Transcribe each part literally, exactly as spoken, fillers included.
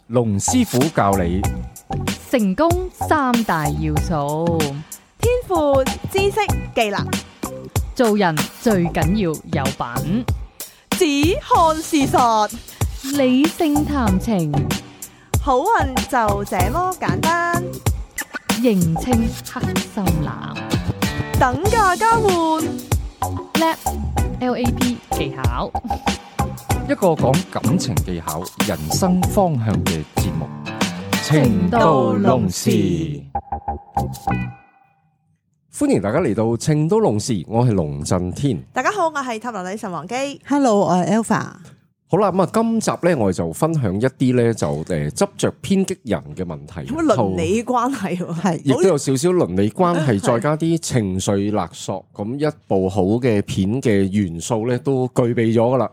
龍師傅教你成功三大要素，天賦、知識、技能，做人最緊要有品，只看事實，理性談情，好運就這麼簡單。認清黑心男，等價交換，叻 L A P 技巧，一個講感情技巧、人生方向嘅節目《情到濃時》。歡迎大家嚟到《情到濃時》，我係龍震天。大家好，我係塔羅女神王姬。Hello，我係 Alpha。好啦，咁啊，今集咧我哋就分享一啲咧就誒執着偏激人嘅問題，有乜倫理關係喎？係亦都有少少倫理關係，再加啲情緒勒索，咁一部好嘅片嘅元素咧都具備咗噶啦。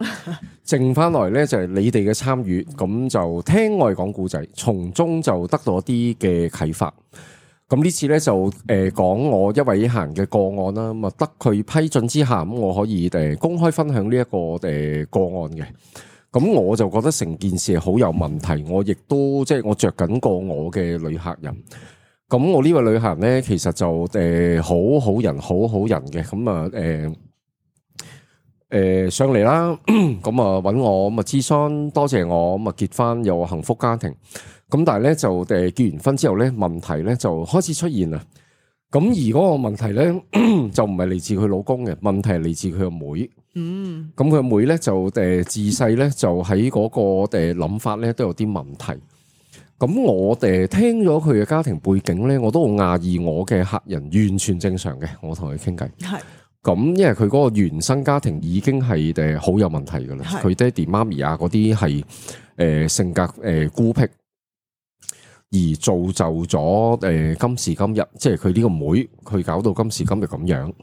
剩翻來咧就係你哋嘅參與，咁就聽我哋講故仔，從中就得到一啲嘅啟發。咁呢次咧就誒講我一位客人嘅個案啦，咁啊得佢批准之下，咁我可以誒公開分享呢一個誒個案嘅。咁我就覺得成件事係好有問題，我亦都即係我着緊過我嘅女客人。咁我呢位女客人咧，其實就誒好好人，好好人嘅。咁啊誒誒上嚟啦，咁啊揾我咁啊諮詢，多謝我咁啊結婚有幸福家庭。咁但係咧就誒結完婚之後咧，問題咧就開始出現啦。咁而嗰個問題咧就唔係嚟自佢老公嘅，問題係嚟自佢個妹。嗯，咁佢個妹咧就誒自細咧就喺嗰個誒諗法咧都有啲問題。咁我誒聽咗佢嘅家庭背景咧，我都好訝異我嘅客人完全正常嘅。我同佢傾偈，係咁，因為佢嗰個原生家庭已經係誒好有問題噶啦。佢爹哋媽咪啊嗰啲係誒性格誒孤僻。而造就咗誒今時今日，即係佢呢個妹，佢搞到今時今日咁樣，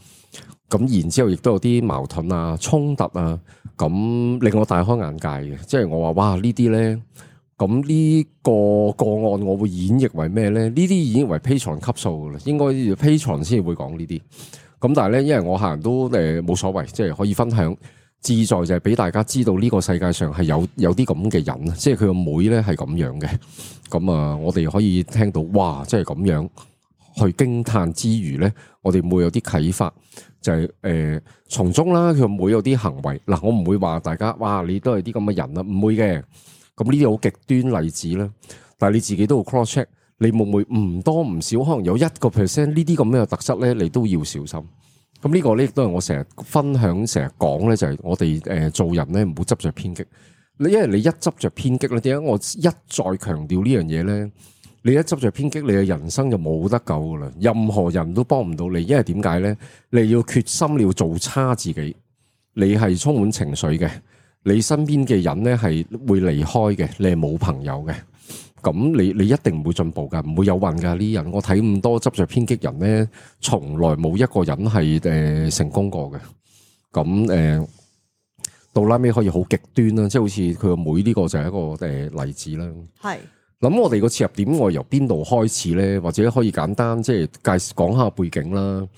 咁然之後亦都有啲矛盾啊、衝突啊，咁令我大開眼界嘅。即係我話哇，呢啲咧，咁呢個個案我會演繹為咩咧？呢啲演繹為 Patreon 級數噶啦，應該 Patreon 先會講呢啲。咁但係咧，因為我客人都誒冇所謂，即係可以分享。志在就係俾大家知道呢個世界上係有有啲咁嘅人，即係佢個妹咧係咁樣嘅。咁啊，我哋可以聽到哇，即係咁樣去驚嘆之餘咧，我哋會有啲啟發，就係誒從中啦，佢個妹有啲行為嗱，我唔會話大家哇，你都係啲咁嘅人啦，唔會嘅。咁呢啲好極端例子啦，但係你自己都要 cross check，你會唔會唔多唔少，可能有一個 percent 呢啲咁樣嘅特質咧，你都要小心。咁呢個咧亦都係我成日分享、成日講咧，就係我哋誒做人咧唔好執着偏激。你因為你一執着偏激咧，點解我一再強調呢樣嘢咧？你一執着偏激，你嘅人生就冇得救噶啦，任何人都幫唔到你。因為點解咧？你要決心，你要做差自己。你係充滿情緒嘅，你身邊嘅人咧係會離開嘅，你係冇朋友嘅。咁你你一定唔會進步噶，唔會有運噶呢啲人。我睇咁多執着偏激人咧，從來冇一個人係誒成功過嘅。咁誒到拉尾可以好極端啦，即係好似佢個妹呢個就係一個誒例子啦。係諗我哋個切入點，我由邊度開始咧？或者可以簡單即係介紹講下背景啦。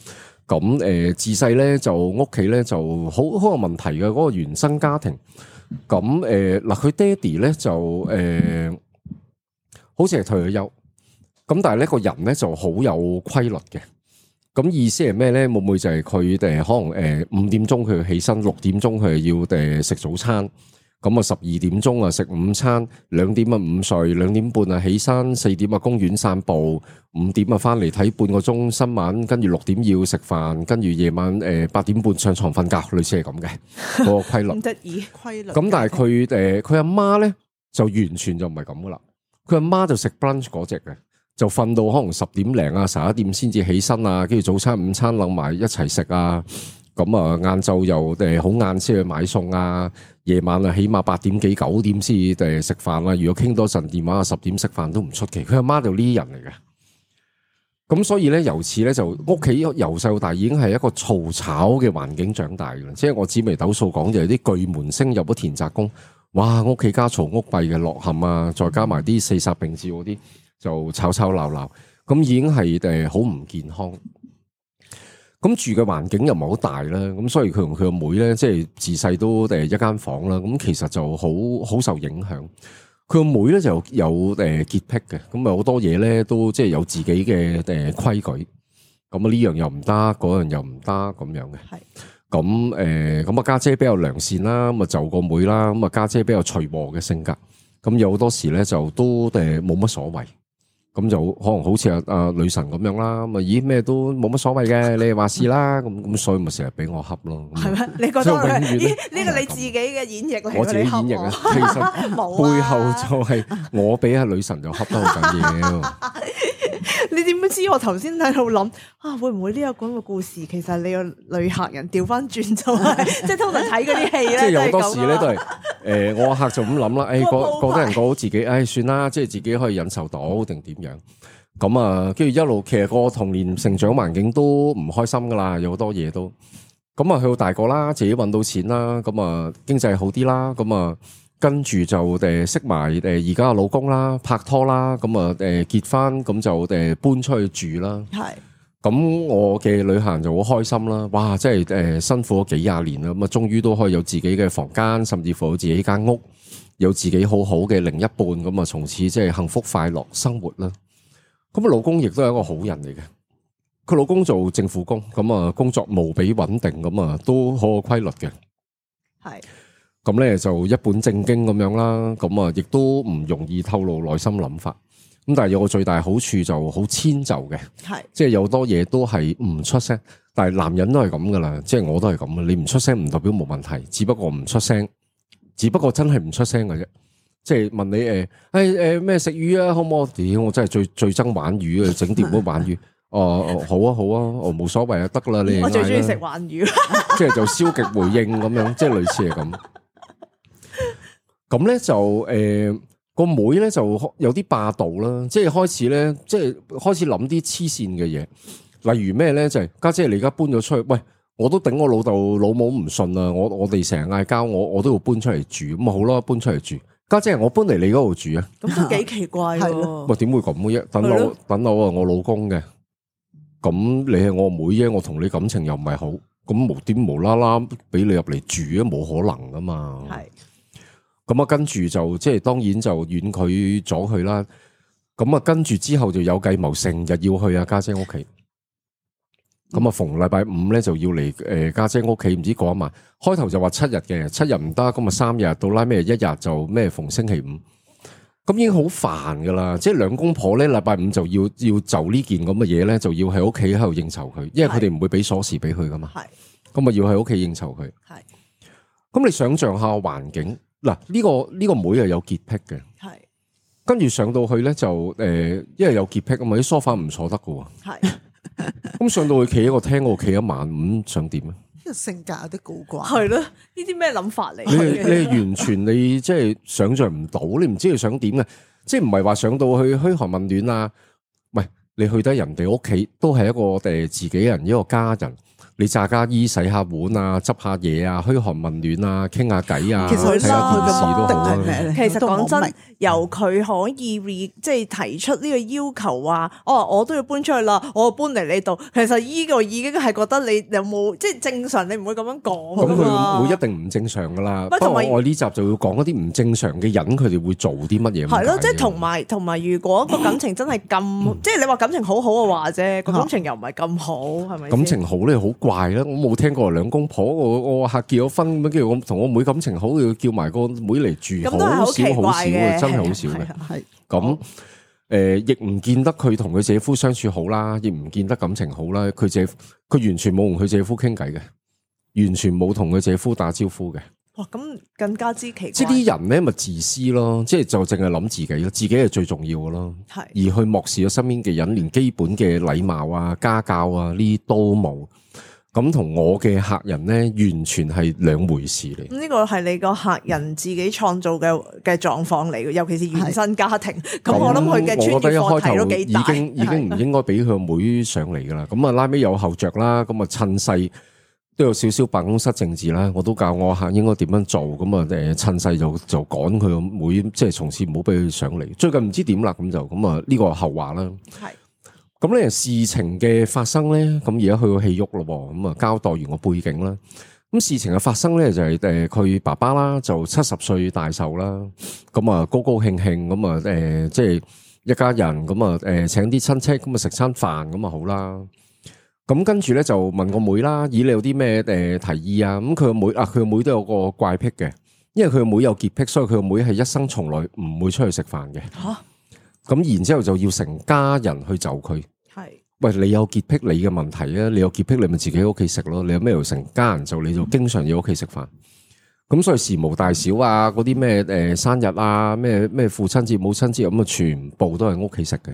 咁誒自細咧就屋企咧就好好有問題嘅嗰個原生家庭。咁誒嗱，佢爹哋咧就誒。好似係退咗休，咁但係呢個人咧就好有規律嘅。咁意思係咩咧？會唔會就係佢哋可能誒五點鐘佢要起身，六點鐘佢要誒食早餐，咁啊十二點鐘啊食午餐，兩點啊午睡，兩點半啊起身，四點啊公園散步，五點啊翻嚟睇半個鐘新聞，跟住六點要食飯，跟住夜晚誒八點半上床瞓覺，類似係咁嘅嗰個規律。唔得意規律。咁但係佢誒佢阿媽咧就完全就唔係咁噶啦。佢阿媽就食 brunch 嗰隻嘅，就瞓到可能十點零啊、十一點先至起身啊，跟住早餐、午餐諗埋一齊食啊。咁啊，晏晝又誒好晏先去買餸啊，夜晚啊起碼八點幾九點先誒食飯啦。如果傾多陣電話啊，十點食飯都唔出奇。佢阿媽就呢啲人嚟嘅。咁所以咧，由此咧就屋企由細到大已經係一個嘈吵嘅環境長大嘅。即係我紫微斗數講就係啲巨門星入咗田宅宮。哇！屋企家嘈屋閉嘅落陷啊，再加埋啲四煞並照嗰啲，就吵吵鬧鬧，咁已經係誒好唔健康。咁住嘅環境又唔係好大啦，咁所以佢同佢個妹咧，即係自細都誒一間房啦，咁其實就好好受影響。佢個妹咧就有誒潔癖嘅，咁啊好多嘢咧都即係有自己嘅誒規矩，咁啊呢樣又唔得，嗰樣又唔得咁樣嘅。係咁誒，咁啊家姐比較良善啦，咁啊就個妹啦，咁啊家姐比較隨和嘅性格，咁有好多時咧就都誒冇乜所謂。咁就可能好似阿阿女神咁樣啦，咁啊咦咩都冇乜所謂嘅，你哋話事啦，咁咁所以咪成日俾我恰咯。係咩？你覺得呢個你自己嘅演繹嚟？我自己演繹啊，其實背後就係我俾阿女神就恰得好緊要。你點知我頭先喺度諗啊？會唔會呢個咁嘅故事，其實你個女客人調翻轉就係，即係通常睇嗰啲戲咧，即係有好多時咧都係誒，我客就咁諗啦，誒，覺覺得人過好自己，誒，算啦，即係自己可以忍受到定點樣？咁啊，跟住一路其實個童年成長環境都唔開心噶啦，有好多嘢都。咁啊，去到大個啦，自己搵到錢啦，咁啊經濟好啲啦，咁啊。跟住就誒識埋誒而家嘅老公啦，拍拖啦，咁啊誒結婚，咁就誒搬出去住啦。係，咁我嘅旅行就好開心啦！哇，真係誒辛苦咗幾廿年啦，咁啊終於都可以有自己嘅房間，甚至乎有自己間屋，有自己好好嘅另一半，咁啊從此即係幸福快樂生活啦。咁啊老公亦都係一個好人嚟嘅，佢老公做政府工，咁啊工作無比穩定，咁啊都好有規律嘅。係。咁咧就一本正經咁樣啦，咁啊亦都唔容易透露內心諗法。咁但係有個最大好處就好遷就嘅，係即係有好多嘢都係唔出聲。但係男人都係咁噶啦，即係我都係咁啊。你唔出聲唔代表冇問題，只不過唔出聲，只不過真係唔出聲嘅啫。即係問你誒，誒誒咩食魚啊？好唔好？屌，我真係最最憎玩魚啊！整碟都玩魚。哦哦，好啊好啊，哦冇所謂啊，得啦你。我最中意食玩魚。即係就消極回應咁樣，即係類似係咁。咁咧就誒個、呃、妹咧就有啲霸道啦，即係開始咧，即係開始諗啲黐線嘅嘢，例如咩咧就係、是、家姐，姐你而家搬咗出去，喂，我都頂我老豆老母唔順啊，我我哋成日嗌交，我我都要搬出嚟住，咁啊好啦，搬出嚟住，家姐，姐我搬嚟你嗰度住啊，咁都幾奇怪喎，喂點會咁嘅啫？等我等我啊，我老公嘅，咁你係我妹啫，我同你感情又唔係好，咁無端無啦啦俾你入嚟住啊，冇可能噶嘛，係。咁啊，跟住就即係當然就婉拒咗佢啦。咁啊，跟住之後就有計謀，成日要去阿家姐屋企。咁啊，逢禮拜五咧就要嚟誒家姐屋企，唔知過一晚。開頭就話七日嘅，七日唔得，咁啊三日到拉咩一日就咩逢星期五。咁已經好煩噶啦，即係兩公婆咧禮拜五就要要就呢件咁嘅嘢咧，就要喺屋企喺度應酬佢，因為佢哋唔會俾鎖匙俾佢噶嘛。係，咁啊要喺屋企應酬佢。係，咁你想象下環境。嗱，呢個呢個妹係有潔癖嘅，係跟住上到去咧就誒，因為有潔癖啊嘛，啲梳化唔坐得噶喎，係咁上到去企喺個廳嗰度企一晚，咁想點啊？呢個性格有啲古怪，係咯？呢啲咩諗法嚟？你你完全你即係想象唔到，你唔知佢想點嘅，即係唔係話上到去噓寒問暖啊？喂，你去得人哋屋企都係一個誒自己人一個家人。你炸家衣洗下碗啊，執下嘢啊，噓寒問暖啊，傾下偈啊，睇下電視都好啊。其實講真，由佢可以 re 即係提出呢個要求話，哦，我都要搬出去啦，我搬嚟你度。其實呢個已經係覺得你有冇即係正常，你唔會咁樣講。咁佢會一定唔正常噶啦。不過我呢集就要講一啲唔正常嘅人，佢哋會做啲乜嘢？係咯，即係同埋同埋，如果個感情真係咁，即係你話感情好好嘅話啫，個感情又唔係咁好，係咪？感情好咧，好怪啦！我冇聽過兩公婆，我我客結咗婚咁樣，跟住我同我妹感情好，要叫埋個妹嚟住，好少好少嘅，真係好少嘅。係咁誒，亦唔見得佢同佢姐夫相處好啦，亦唔見得感情好啦。佢姐佢完全冇同佢姐夫傾偈嘅，完全冇同佢姐夫打招呼嘅。哇，咁更加之奇怪。即係啲人咧，咪自私咯，即係就淨係諗自己咯，自己係最重要嘅咯。係而去漠視咗身邊嘅人，連基本嘅禮貌啊、家教啊呢啲都冇。咁同我嘅客人咧，完全係兩回事嚟。呢個係你個客人自己創造嘅嘅狀況嚟嘅，尤其是原生家庭。咁我諗佢嘅專業課題都幾大。已經已經唔應該俾佢個妹上嚟噶啦。咁啊拉尾有後着啦，咁啊趁勢都有少少辦公室政治啦。我都教我客應該點樣做。咁啊誒趁勢就就趕佢個妹，即係從此唔好俾佢上嚟。最近唔知點啦，咁就咁啊呢個後話啦。係。咁咧事情嘅發生咧，咁而家去到戲郁咯，咁啊交代完個背景啦。咁事情嘅發生咧就係誒佢爸爸啦，就七十歲大壽啦，咁啊高高興興咁啊誒即係一家人咁啊誒請啲親戚咁啊食餐飯咁啊好啦。咁跟住咧就問個妹啦，咦你有啲咩誒提議啊？咁佢個妹啊，佢個妹都有個怪癖嘅，因為佢個妹有潔癖，所以佢個妹係一生從來唔會出去食飯嘅。吓，咁然之後就要成家人去就佢。係。喂，你有潔癖你嘅問題啊，你有潔癖你咪自己喺屋企食咯，你有咩要成家人就你就經常要屋企食飯，咁所以事無大小啊，嗰啲咩誒生日啊，咩咩父親節、母親節咁啊，全部都係屋企食嘅。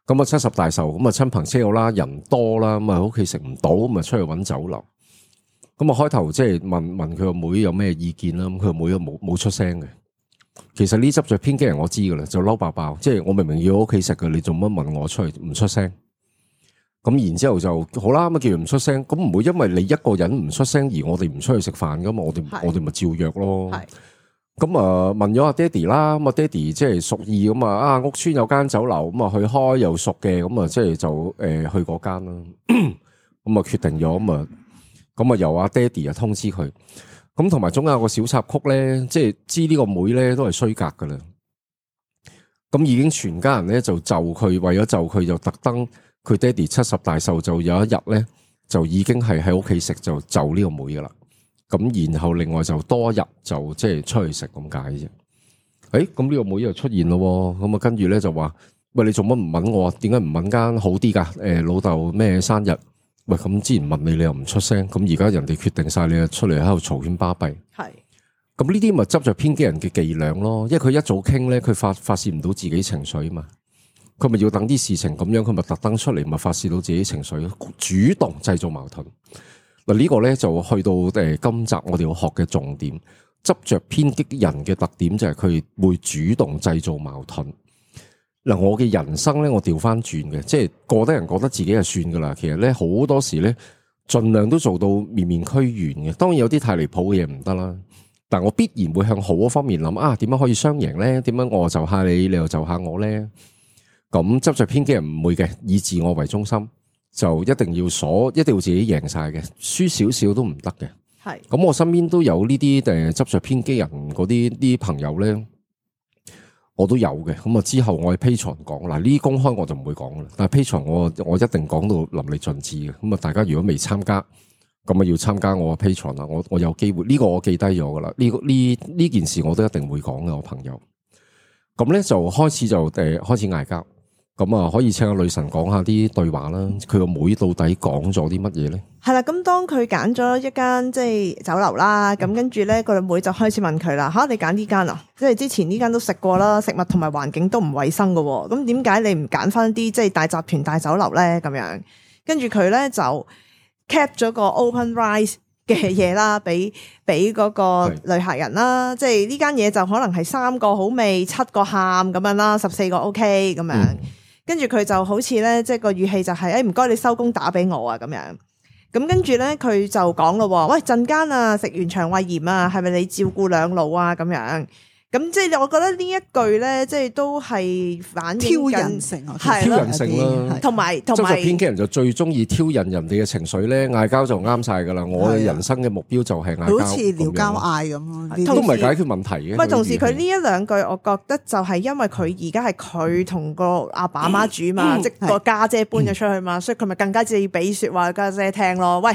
咁啊七十大壽，咁啊親朋戚友啦，人多啦，咁啊屋企食唔到，咁啊出去搵酒樓。咁啊開頭即係問問佢個妹有咩意見啦，咁佢個妹又冇冇出聲嘅。其實呢執着偏激人我知噶啦，就嬲爆爆，即係我明明要屋企食嘅，你做乜問我出去唔出聲？咁然之後就好啦，咁啊叫佢唔出聲，咁唔會因為你一個人唔出聲而我哋唔出去食飯噶嘛？我哋我哋咪照約咯。咁啊問咗阿爹哋啦，咁啊爹哋即係屬意咁啊，啊屋村有間酒樓咁啊去開又熟嘅，咁啊即係就誒去嗰間啦。咁啊決定咗咁啊，咁啊由阿爹哋啊通知佢。咁同埋中間有個小插曲咧，即係知呢個妹咧都係衰格噶啦。咁已經全家人咧就就佢，為咗就佢就特登，佢爹哋七十大壽就有一日咧就已經係喺屋企食就就呢個妹噶啦。咁然後另外就多一日就即係出去食咁解啫。誒，咁呢個妹又出現咯，咁啊跟住咧就話：喂，你做乜唔問我？點解唔問間好啲噶？誒，老豆咩生日？喂，咁之前問你，你又唔出聲，咁而家人哋決定晒，你就出嚟喺度嘈喧巴閉。係，咁呢啲咪執着偏激人嘅伎倆咯，因為佢一早傾咧，佢發發洩唔到自己情緒啊嘛，佢咪要等啲事情咁樣，佢咪特登出嚟，咪發洩到自己情緒，主動製造矛盾。嗱，呢個咧就去到誒今集我哋要學嘅重點，執着偏激人嘅特點就係佢會主動製造矛盾。嗱，我嘅人生咧，我調翻轉嘅，即係過得人覺得自己係算噶啦。其實咧，好多時咧，盡量都做到面面俱圓嘅。當然有啲太離譜嘅嘢唔得啦，但我必然會向好嗰方面諗啊，點樣可以雙贏咧？點樣我就下你，你又就下我咧？咁執着偏激人唔會嘅，以自我為中心，就一定要鎖，一定要自己贏晒嘅，輸少少都唔得嘅。係，咁我身邊都有呢啲誒執着偏激人嗰啲啲朋友咧。我都有嘅，咁啊之後我喺 Patreon 講，嗱呢啲公開我就唔會講啦，但係 Patreon我我一定講到淋漓盡致嘅，咁啊大家如果未參加，咁啊要參加我 Patreon 啦，我我有機會，呢、這個我記低咗噶啦，呢、這個呢呢件事我都一定會講嘅，我朋友，咁咧就開始就誒、呃、開始嗌交。咁啊，可以請阿女神講下啲對話啦。佢個妹到底講咗啲乜嘢咧？係啦，咁當佢揀咗一間即係酒樓啦，咁跟住咧個妹就開始問佢啦：吓，你揀呢間啊？即係之前呢間都食過啦，食物同埋環境都唔衛生噶，咁點解你唔揀翻啲即係大集團大酒樓咧？咁樣，跟住佢咧就 cap 咗個 open rice 嘅嘢啦，俾俾嗰個女客人啦。即係呢間嘢就可能係三個好味，七個喊咁樣啦，十四個 OK 咁樣。嗯，跟住佢就好似咧，即係個語氣就係，誒唔該你收工打俾我啊咁樣。咁跟住咧，佢就講咯，喂陣間啊，食完腸胃炎啊，係咪你照顧兩老啊咁樣？咁即係我覺得呢一句咧，即係都係反映挑人性，係挑人性啦。同埋同埋，執着偏激人就最中意挑釁人哋嘅情緒咧，嗌交就啱晒噶啦。我嘅人生嘅目標就係嗌交，好似撩交嗌咁咯，都唔係解決問題嘅。唔係，同時佢呢一兩句，我覺得就係因為佢而家係佢同個阿爸阿媽煮嘛，嗯、即係個家姐搬咗出去嘛，嗯、所以佢咪更加要俾說話家姐聽咯。喂。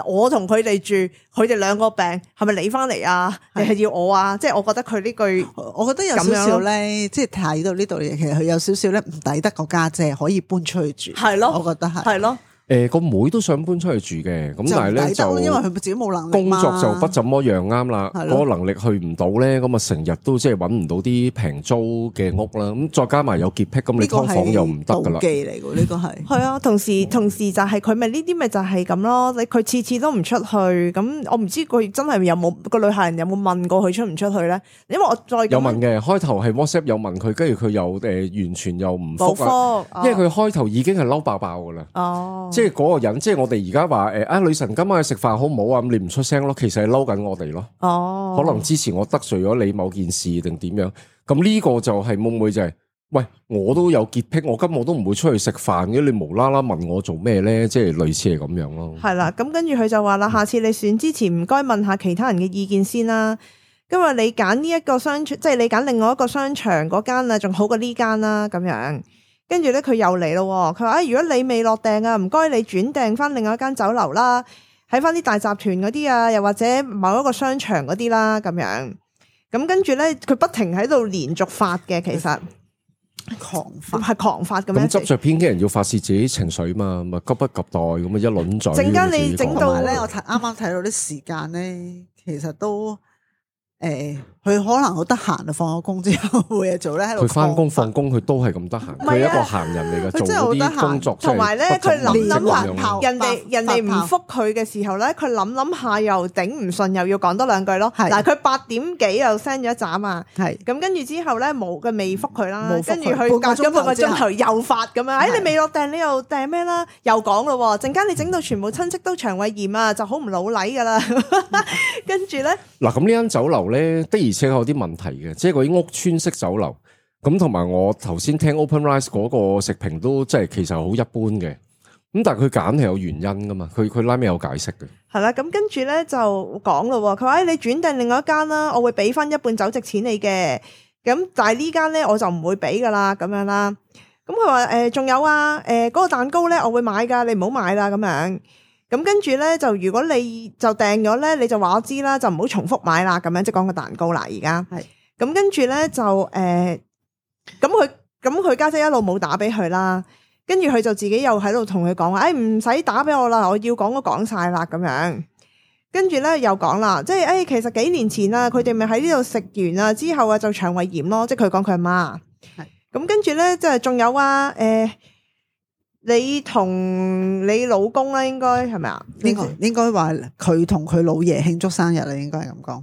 我同佢哋住，佢哋兩個病，係咪你翻嚟啊？你係要我啊？即係我覺得佢呢句，我覺得有少少咧，即係睇到呢度嘢，其實佢有少少咧唔抵得個家姐可以搬出去住，係咯，我覺得係，係咯。誒，個妹都想搬出去住嘅，咁但係咧就因為佢自己冇能力，工作就不怎麼樣啱啦。嗰個能力去唔到咧，咁啊成日都即係搵唔到啲平租嘅屋啦。咁再加埋有潔癖，咁你劏房又唔得噶啦。妒忌嚟嘅呢個係，係啊，同時同時就係佢咪呢啲咪就係咁咯。你佢次次都唔出去，咁我唔知佢真係有冇個女客人有冇問過佢出唔出去咧？因為我再有問嘅，開頭係 WhatsApp 有問佢，跟住佢又誒完全又唔覆啊，因為佢開頭已經係嬲爆爆噶啦。哦，即係嗰個人即係。我哋而家話誒啊女神今晚去食飯好唔好啊？咁你唔出聲咯，其實係嬲緊我哋咯。哦，可能之前我得罪咗你某件事定點樣？咁呢個就係會唔會就係喂，我都有潔癖，我今日都唔會出去食飯嘅，你無啦啦問我做咩咧？即係類似係咁樣咯。係啦，咁跟住佢就話啦，下次你選之前唔該問下其他人嘅意見先啦。今日你揀呢一個商場，即係你揀另外一個商場嗰間啊，仲好過呢間啦，咁樣。跟住咧，佢又嚟咯，佢話：啊，如果你未落訂啊，唔該你轉訂翻另外一間酒樓啦，喺翻啲大集團嗰啲啊，又或者某一個商場嗰啲啦，咁樣。咁跟住咧，佢不停喺度連續發嘅，其實。狂發係狂發咁樣，咁執着偏激人要發泄自己情緒嘛，咪急不及待咁啊一輪嘴。陣間你整到咧，我睇啱啱睇到啲時間咧，其實都誒，佢、呃、可能好得閒啊，放咗工之後冇嘢做咧，喺度。佢翻工放工，佢都係咁得閒，佢係一個閒人嚟嘅，做嗰啲工作。同埋咧，佢諗諗下，人哋人哋唔覆覆佢嘅時候咧，佢諗諗下又頂唔順，又要講多兩句咯。嗱，佢八點幾又 send 咗一斬啊，係咁跟住之後咧冇嘅未覆佢啦，跟住佢隔咗半個鐘頭又發咁樣，哎你未落訂，你又訂咩啦？又講咯，陣間你整到全部親戚都腸胃炎啊，就好唔老禮噶啦。跟住咧，嗱咁呢間酒樓咧的而且確有啲問題嘅，即係嗰啲屋村式酒樓。咁同埋我頭先聽 OpenRice 嗰個食評都即係其實好一般嘅，咁但係佢揀係有原因噶嘛，佢佢拉尾有解釋嘅。係啦，咁跟住咧就講咯，佢話、哎、你轉訂另外一間啦，我會俾翻一半酒席錢你嘅，咁但係呢間咧我就唔會俾噶啦，咁樣啦。咁佢話誒仲有啊，誒、呃、嗰、那個蛋糕咧我會買噶，你唔好買啦咁樣。咁跟住咧就如果你就訂咗咧，你就話我知啦，就唔好重複買啦，咁樣即係講個蛋糕啦。而家係咁跟住咧就誒。呃咁佢咁佢家姐一路冇打俾佢啦，跟住佢就自己又喺度同佢講話，誒唔使打俾我啦，我要講都講晒啦咁樣。跟住咧又講啦，即係誒、哎、其實幾年前啊，佢哋咪喺呢度食完啊之後啊就腸胃炎咯，即係佢講佢阿媽。係咁跟住咧，即係仲有啊，誒、呃、你同你老公咧，應該係咪啊？應該應該話佢同佢老爺慶祝生日啦，應該係咁講。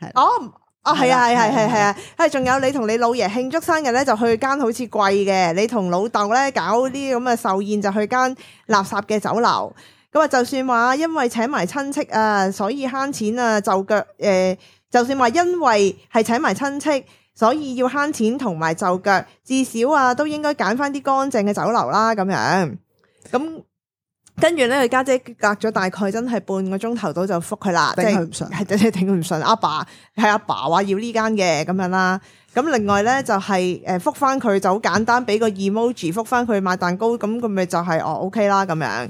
係哦。哦，係啊，係係係係啊，係仲有你同你老爺慶祝生日咧，就去間好似貴嘅；你同老豆咧搞啲咁嘅壽宴，就去間垃圾嘅酒樓。咁啊，就算話因為請埋親戚啊，所以慳錢啊，就腳誒、呃，就算話因為係請埋親戚，所以要慳錢同埋就腳，至少啊都應該揀翻啲乾淨嘅酒樓啦，咁樣咁。跟住咧，佢家姐隔咗大概真係半個鐘頭到就覆佢啦，頂佢唔順，係真係頂佢唔順。阿爸係阿爸話要呢間嘅咁樣啦。咁另外咧就係誒覆翻佢就好簡單，俾個 emoji 覆翻佢買蛋糕，咁佢咪就係、是、哦 OK 啦咁樣。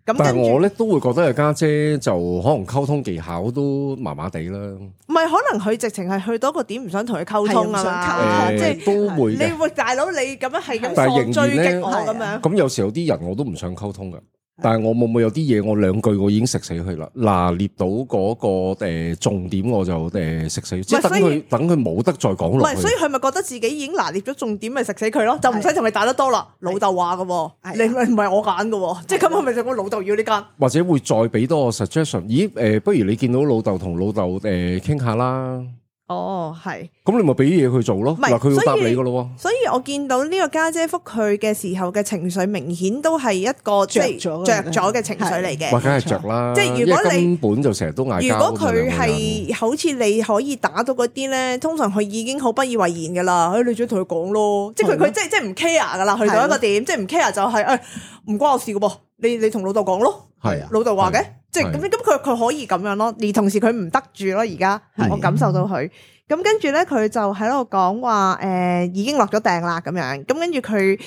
咁但係我咧都會覺得佢家姐就可能溝通技巧都麻麻地啦。唔係，可能佢直情係去到個點唔想同佢溝通啊嘛，即係都會。你喂大佬，你咁樣係咁放追擊我咁樣。咁有時候有啲人我都唔想溝通噶。但係我會唔會有啲嘢我兩句我已經食死佢啦，拿捏到嗰個誒重點我就誒食死，即係等佢等佢冇得再講落去。唔係，所以佢咪覺得自己已經拿捏咗重點，咪食死佢咯，就唔使同佢打得多啦。老豆話㗎，你唔係我揀㗎，即係咁係咪就我老豆要呢間？或者會再俾多個 suggestion？咦誒，不如你見到老豆同老豆誒傾下啦。哦，係，咁你咪俾嘢佢做咯，嗱佢要答你噶咯。所以我見到呢個家姐覆佢嘅時候嘅情緒，明顯都係一個着咗着咗嘅情緒嚟嘅。哇，梗係着啦，即係如果你根本就成日都嗌交。如果佢係好似你可以打到嗰啲咧，通常佢已經好不以為然噶啦。誒，你再同佢講咯，即係佢佢即係即係唔 care 噶啦，去到一個點，即係唔 care 就係誒唔關我事噶噃，你你同老豆講咯，係啊，老豆話嘅。即係咁，咁佢佢可以咁樣咯，而同時佢唔得住咯。而家我感受到佢咁，跟住咧佢就喺度講話誒，已經落咗訂啦咁樣。咁跟住佢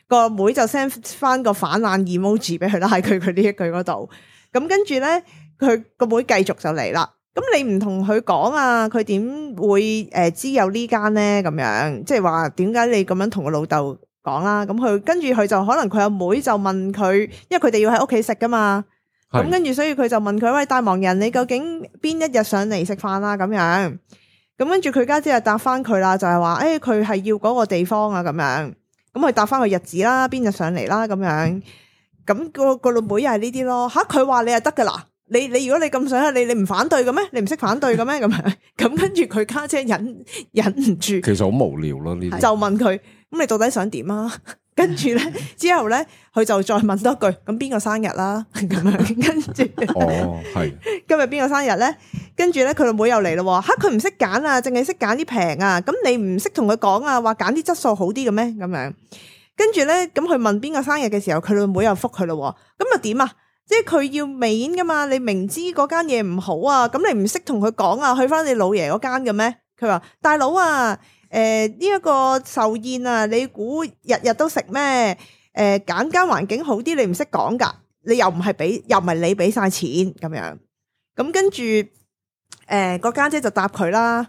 個妹就 send 翻個反冷 emoji 俾佢啦，喺佢佢呢一句嗰度。咁跟住咧，佢個妹繼續就嚟啦。咁你唔同佢講啊，佢點會誒知有呢間咧？咁樣即係話點解你咁樣同個老豆講啦？咁佢跟住佢就可能佢阿妹就問佢，因為佢哋要喺屋企食噶嘛。咁跟住，所以佢就問佢：喂，大忙人，你究竟邊一日上嚟食飯啦？咁樣，咁跟住佢家姐就答翻佢啦，就係話：誒，佢係要嗰個地方啊，咁樣。咁佢答翻個日子啦，邊日上嚟啦，咁樣。咁個個老妹又係呢啲咯。吓，佢話你係得噶啦，你你如果你咁想，你你唔反對嘅咩？你唔識反對嘅咩？咁樣。咁跟住佢家姐忍忍唔住，其實好無聊咯呢啲。就問佢：咁你到底想點啊？跟住咧之後咧，佢就再問多句，咁邊個生日啦？咁樣跟住，哦，係今日邊個生日咧？跟住咧，佢個妹又嚟咯，吓佢唔識揀啊，淨係識揀啲平啊，咁你唔識同佢講啊，話揀啲質素好啲嘅咩？咁樣，跟住咧，咁佢問邊個生日嘅時候，佢個妹又覆佢咯，咁又點啊？即係佢要面噶嘛，你明知嗰間嘢唔好啊，咁你唔識同佢講啊，去翻你老爺嗰間嘅咩？佢話大佬啊。誒呢一個壽宴啊，你估日日都食咩？誒揀間環境好啲，你唔識講㗎，你又唔係俾，又唔係你俾晒錢咁樣。咁跟住誒個家姐就答佢啦，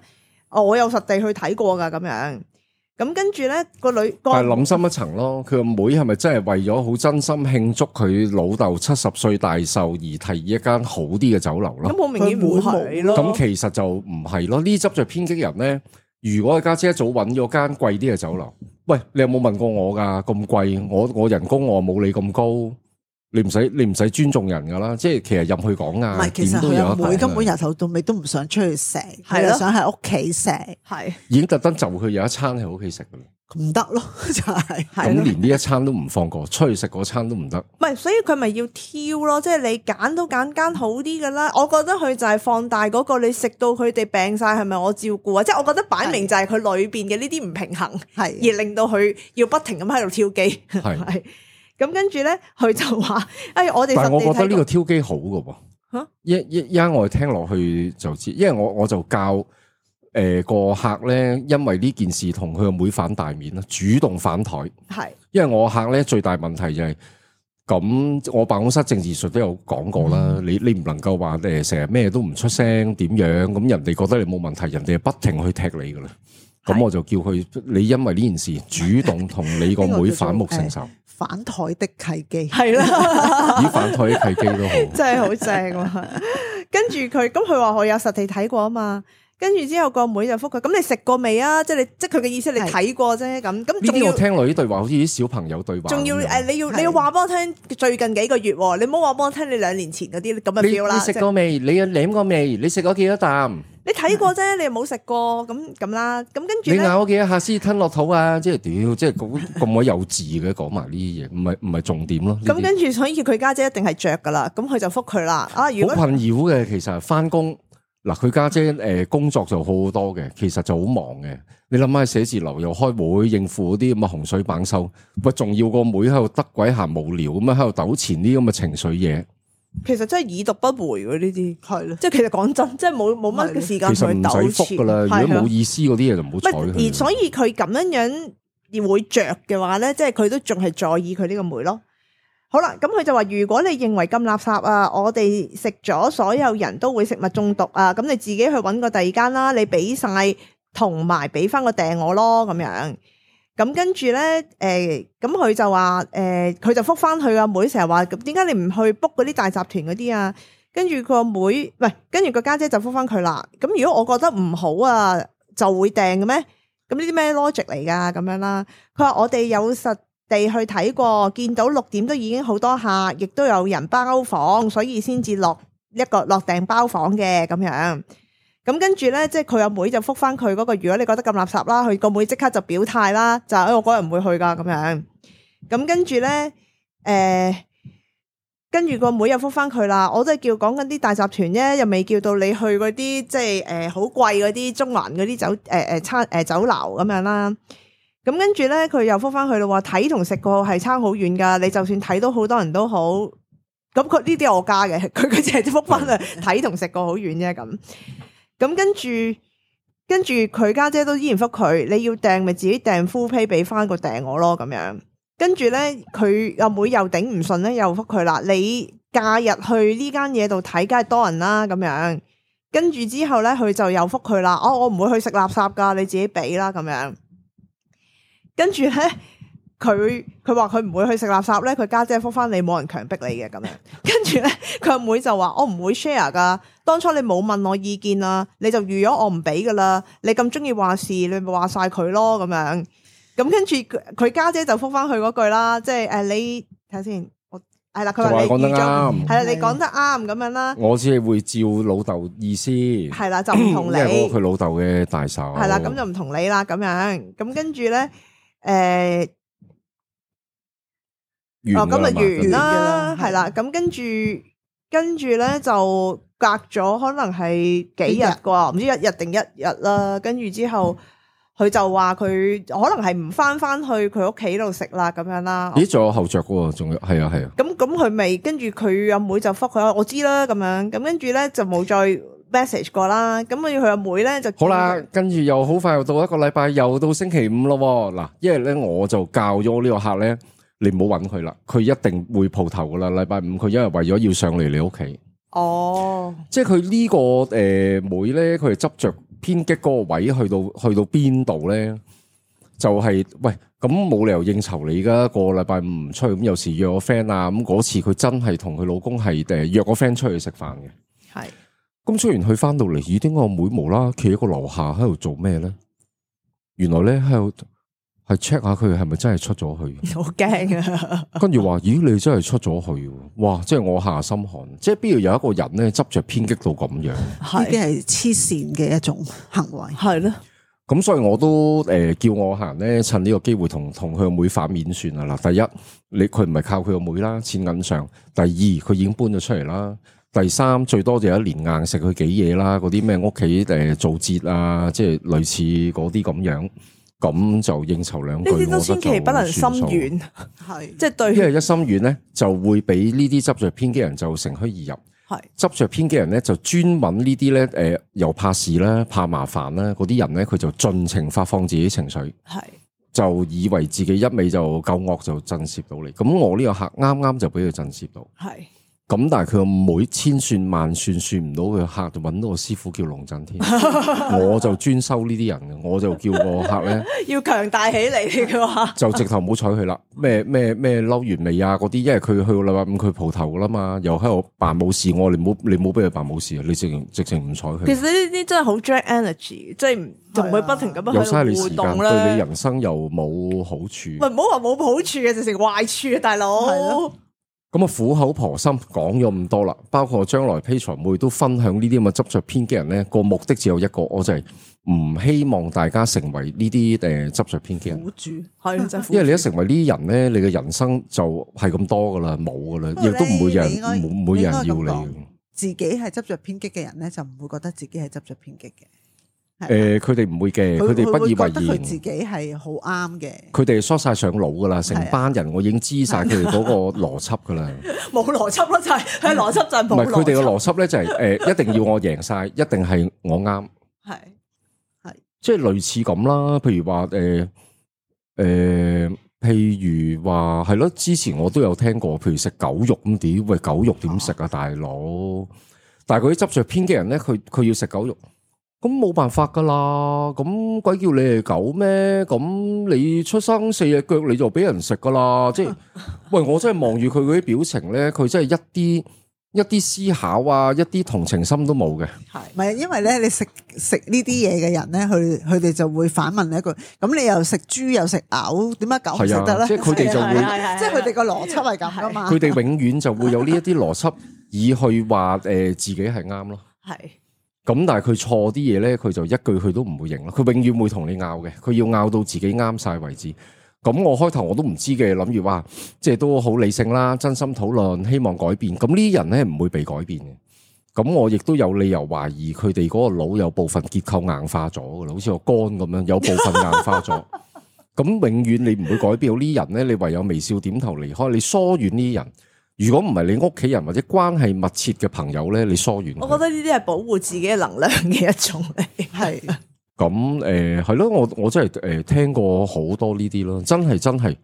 我有實地去睇過㗎咁樣。咁跟住咧個女，但係諗深一層咯，佢個妹係咪真係為咗好真心慶祝佢老豆七十歲大壽而提議一間好啲嘅酒樓咯？咁好明顯唔係咯。咁其實就唔係咯，呢執就偏激人咧。如果家姐一早揾咗間貴啲嘅酒樓，喂，你有冇問過我噶？咁貴，我我人工我冇你咁高，你唔使你唔使尊重人噶啦。即係其實入去講啊，唔係，其實佢阿妹根本由頭到尾都唔想出去食，係咯，想喺屋企食，係已經特登就佢有一餐喺屋企食噶啦。唔得咯，就係咁連呢一餐都唔放過，出去食嗰餐都唔得。唔係，所以佢咪要挑咯，即係你揀都揀間好啲噶啦。我覺得佢就係放大嗰個，你食到佢哋病晒，係咪我照顧啊？即係我覺得擺明就係佢裏邊嘅呢啲唔平衡，係而令到佢要不停咁喺度挑機。係咁跟住咧，佢就話：哎，我哋但係我覺得呢個挑機好噶喎。吓一一一陣我哋聽落去就知，因為我我就教。誒，個客咧，因為呢件事同佢個妹反大面啦，主動反台。係，因為我客咧最大問題就係、是、咁，我辦公室政治術都有講過啦。嗯、你你唔能夠話誒，成日咩都唔出聲，點樣咁人哋覺得你冇問題，人哋不停去踢你噶啦。咁我就叫佢，你因為呢件事主動同你個妹反目成仇。反台的契機係啦，以反台的契機都好，真係好正啊！跟住佢，咁佢話我有實地睇過啊嘛。跟住之後個妹就覆佢，咁你食過未啊？即係你，即係佢嘅意思，你睇過啫。咁咁仲要我聽落呢對話好似啲小朋友對話。仲要誒，你要你要話俾我聽最近幾個月，你唔好話俾我聽你兩年前嗰啲咁嘅 feel 啦。你食過未？你有舐過未？你食過幾多啖？你睇過啫，你又冇食過，咁咁啦。咁跟住你咬咗幾多下先吞落肚啊？即係屌，即係咁咁鬼幼稚嘅講埋呢啲嘢，唔係唔係重點咯。咁跟住所以佢家姐一定係着噶啦，咁佢就覆佢啦。啊，如果好困擾嘅，其實翻工。嗱，佢家姐誒工作就好好多嘅，其實就好忙嘅。你諗下寫字樓又開會應付嗰啲咁嘅洪水猛獸，喂，仲要個妹喺度得鬼閒無聊咁樣喺度糾纏啲咁嘅情緒嘢。其實真係已讀不回喎呢啲，係咯，即係其實講真，即係冇冇乜嘅時間去糾纏。其實唔使覆噶啦，如果冇意思嗰啲嘢就唔好睬佢。而所以佢咁樣樣而會着嘅話咧，即係佢都仲係在意佢呢個妹咯。好啦，咁佢就話：如果你認為咁垃圾啊，我哋食咗所有人都會食物中毒啊，咁你自己去揾個第二間啦，你俾晒同埋俾翻個訂我咯，咁樣。咁跟住咧，誒、呃，咁佢就話，誒、呃，佢就覆翻佢阿妹，成日話，點解你唔去 book 嗰啲大集團嗰啲啊？跟住佢個妹，喂，跟住個家姐就覆翻佢啦。咁如果我覺得唔好啊，就會訂嘅咩？咁呢啲咩 logic 嚟噶？咁樣啦。佢話我哋有實地去睇過，見到六點都已經好多客，亦都有人包房，所以先至落一個落訂包房嘅咁樣。咁跟住咧，即係佢阿妹就覆翻佢嗰個，如果你覺得咁垃圾啦，佢個妹即刻就表態啦，就係我嗰日唔會去噶咁樣。咁跟住咧，誒、呃，跟住個妹又覆翻佢啦，我都係叫講緊啲大集團啫，又未叫到你去嗰啲即係誒好貴嗰啲中環嗰啲酒誒誒餐誒酒樓咁樣啦。咁跟住咧，佢又覆翻佢咯，話睇同食過係差好遠噶，你就算睇到好多人都好，咁佢呢啲係我加嘅，佢佢淨係覆翻啊睇同食過好遠啫咁。咁跟住，跟住佢家姐都依然覆佢，你要訂咪自己訂 full pay 俾翻個訂我咯咁樣。跟住咧，佢阿妹又頂唔順咧，又覆佢啦。你假日去呢間嘢度睇，梗係多人啦咁樣。跟住之後咧，佢就又覆佢啦。哦，我唔會去食垃圾噶，你自己俾啦咁樣。跟住咧，佢佢話佢唔會去食垃圾咧，佢家姐覆翻你，冇人強迫你嘅咁樣。跟住咧，佢阿妹就話我唔會 share 噶。當初你冇問我意見啊，你就預咗我唔俾噶啦。你咁中意話事，你咪話晒佢咯咁樣。咁跟住佢家姐就覆翻佢嗰句啦，即係誒你睇下先，我係啦，佢話你講得啱，係啦，你講得啱咁樣啦。我只係會照老豆意思，係啦，就唔同你，因為我佢老豆嘅大手，係啦，咁就唔同你啦咁樣。咁跟住咧，誒、呃。完㗎啦嘛，今日完啦，完㗎啦係啦，咁跟住跟住咧就隔咗可能係幾日啩，唔知一日定一日啦。跟住之後，佢就話佢可能係唔翻翻去佢屋企度食啦，咁樣啦。咦，仲有後着嘅喎，仲有係啊係啊。咁咁佢未跟住佢阿妹就覆佢，我知啦咁樣。咁跟住咧就冇再 message 過啦。咁跟住佢阿妹咧就好啦，跟住又好快又到一個禮拜，又到星期五咯喎。嗱，因為咧我就教咗呢個客咧。你唔好揾佢啦，佢一定會蒲頭噶啦。禮拜五佢因為為咗要上嚟你屋企，哦，即係佢呢個誒、呃、妹咧，佢係執着偏激嗰個位去到去到邊度咧？就係、是、喂，咁冇理由應酬你噶，個禮拜五唔出去，咁有時約個 friend 啊，咁嗰次佢真係同佢老公係誒約個 friend 出去食飯嘅。係，咁雖然佢翻到嚟，咦？點解我妹無啦企喺個樓下喺度做咩咧？原來咧喺度。係 check 下佢係咪真係出咗去，好驚啊！跟住話，咦，你真係出咗去，哇！即係我下心寒，即係邊度有一個人咧執着偏激到咁樣，呢啲係黐線嘅一種行為，係咯。咁所以我都誒、呃、叫我行咧，趁呢個機會同同佢個妹反面算啦。嗱，第一，你佢唔係靠佢個妹啦，錢銀上；第二，佢已經搬咗出嚟啦；第三，最多就有一年硬食佢幾嘢啦，嗰啲咩屋企誒做節啊，即係類似嗰啲咁樣。咁就應酬兩句，呢啲都千祈不能心軟，係即係對。因為一心軟咧，就會俾呢啲執着偏激人就乘虛而入。係執着偏激人咧，就專揾呢啲咧，誒、呃，又怕事啦，怕麻煩啦，嗰啲人咧，佢就盡情發放自己情緒，係就以為自己一味就夠惡就震懾到你。咁我呢個客啱啱就俾佢震懾到，係。咁但係佢個妹千算萬算算唔到佢客，就揾到個師傅叫龍震天，我就專收呢啲人嘅，我就叫個客咧要強大起嚟嘅話，就直頭唔好睬佢啦。咩咩咩嬲完未啊？嗰啲，因為佢去到禮拜五佢蒲頭噶啦嘛，又喺度扮冇事，我你唔好你唔好俾佢扮冇事啊！你直情直情唔睬佢。其實呢啲真係好 drag energy，即係仲會不停咁樣喺度互動咧，對你人生又冇好處。唔係唔好話冇好處嘅，直情壞處啊，大佬。咁啊，苦口婆心講咗咁多啦，包括我將來 Patreon 會都分享呢啲咁嘅執着偏激人咧，個目的只有一個，我就係唔希望大家成為呢啲誒執着偏激人。苦主係真，因為你一成為呢啲人咧，你嘅人生就係咁多噶啦，冇噶啦，亦都唔會有人冇冇人要你。自己係執着偏激嘅人咧，就唔會覺得自己係執着偏激嘅。誒，佢哋唔會嘅，佢哋不以為然。佢自己係好啱嘅。佢哋梳晒上腦噶啦，成班人我已經知晒佢哋嗰個邏輯噶啦。冇邏輯咯，就係佢邏輯就係冇邏輯。唔係佢哋嘅邏輯咧，就係誒，一定要我贏晒，一定係我啱。係係，即係類似咁啦。譬如話誒誒，譬如話係咯，之前我都有聽過，譬如食狗肉咁點？喂，狗肉點食啊，大佬？但係嗰啲執着偏激人咧，佢佢要食狗肉。咁冇辦法噶啦，咁鬼叫你係狗咩？咁你出生四隻腳你就俾人食噶啦，即係，喂，我真係望住佢嗰啲表情咧，佢真係一啲一啲思考啊，一啲同情心都冇嘅。係，唔係因為咧，你食食呢啲嘢嘅人咧，佢佢哋就會反問你一句：咁你又食豬又食牛，點解狗唔食得咧？即係佢哋就會，即係佢哋個邏輯係咁噶嘛。佢哋永遠就會有呢一啲邏輯，以去話誒自己係啱咯。係。咁但係佢錯啲嘢咧，佢就一句佢都唔會認咯。佢永遠會同你拗嘅，佢要拗到自己啱晒為止。咁我開頭我都唔知嘅，諗住話即係都好理性啦，真心討論，希望改變。咁呢啲人咧唔會被改變嘅。咁我亦都有理由懷疑佢哋嗰個腦有部分結構硬化咗噶啦，好似個肝咁樣，有部分硬化咗。咁永遠你唔會改變到呢啲人咧，你唯有微笑點頭離開，你疏遠呢啲人。如果唔係你屋企人或者關係密切嘅朋友咧，你疏遠。我覺得呢啲係保護自己嘅能量嘅一種嚟，係。咁誒係咯，我我真係誒聽過好多呢啲咯，真係真係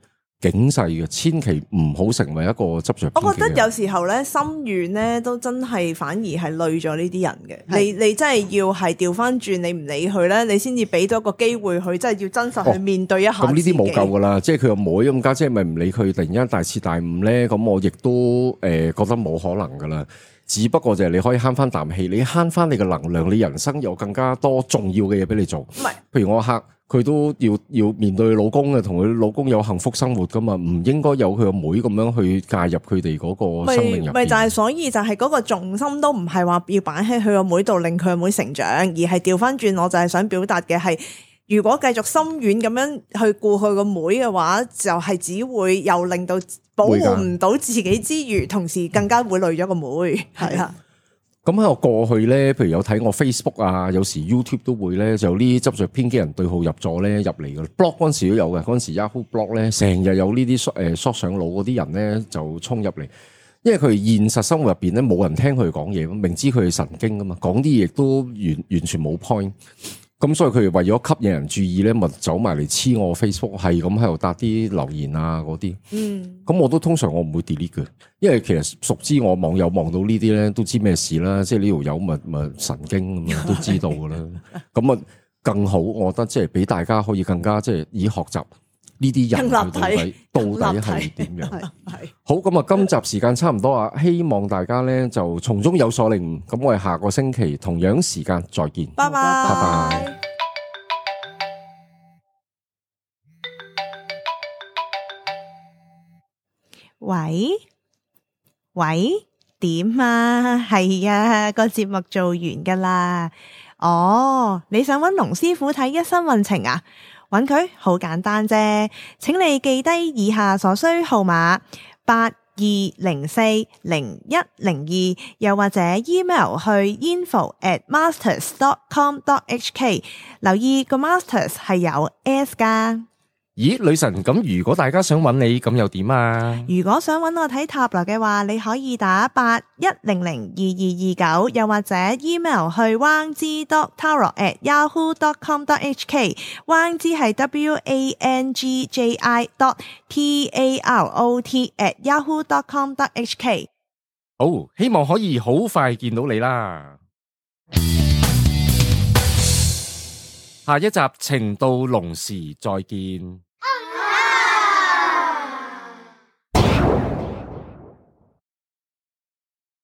警世嘅，千祈唔好成為一個執着。我覺得有時候咧，心軟咧都真係反而係累咗呢啲人嘅。你你真係要係調翻轉，你唔理佢咧，你先至俾到一個機會佢，真係要真實去面對一下。咁呢啲冇救噶啦，即係佢個妹咁家姐咪唔理佢，突然間大徹大悟咧，咁我亦都誒覺得冇可能噶啦。只不過就係你可以慳翻啖氣，你慳翻你嘅能量，你人生有更加多重要嘅嘢俾你做。唔係，譬如我客佢都要要面對老公嘅，同佢老公有幸福生活噶嘛，唔應該有佢個妹咁樣去介入佢哋嗰個生命入邊。咪就係，所以就係嗰個重心都唔係話要擺喺佢個妹度令佢個妹成長，而係調翻轉，我就係想表達嘅係。如果繼續深遠咁樣去顧佢個妹嘅話，就係、是、只會又令到保護唔到自己之餘，同時更加會累咗個妹。係啊。咁喺我過去咧，譬如有睇我 Facebook 啊，有時 YouTube 都會咧，就有呢啲執着偏激人對號入座咧入嚟嘅 blog 嗰陣時都有嘅，嗰陣時 Yahoo blog 咧成日有呢啲誒縮上腦嗰啲人咧就衝入嚟，因為佢現實生活入邊咧冇人聽佢哋講嘢，明知佢係神經噶嘛，講啲嘢亦都完完全冇 point。咁所以佢哋為咗吸引人注意咧，咪走埋嚟黐我 Facebook，係咁喺度答啲留言啊嗰啲。嗯，咁我都通常我唔會 delete 嘅，因為其實熟知我網友望到呢啲咧，都知咩事啦。即係呢條友咪咪神經咁樣，都知道噶啦。咁啊更好，我覺得即係俾大家可以更加即係以學習呢啲人到底到底係點樣。係好，咁啊，今集時間差唔多啊，希望大家咧就從中有所領悟。咁我哋下個星期同樣時間再見，拜拜拜拜。喂喂，點啊？係啊，個節目做完噶啦。哦，你想揾龍師傅睇一生運程啊？揾佢好簡單啫，請你記低以下所需號碼八二零四零一零二，又或者 email 去 info at masters dot com dot h k。留意個 masters 係有 s 噶。咦，女神，咁如果大家想揾你，咁又點啊？如果想揾我睇塔羅嘅話，你可以打八一零零二二二九，又或者 email 去 wang zi dot tarot at yahoo dot com dot h k。wang zi 係 w a n g j i dot t a r o t at yahoo dot com dot h k。好，希望可以好快見到你啦。下一集情到濃時再見。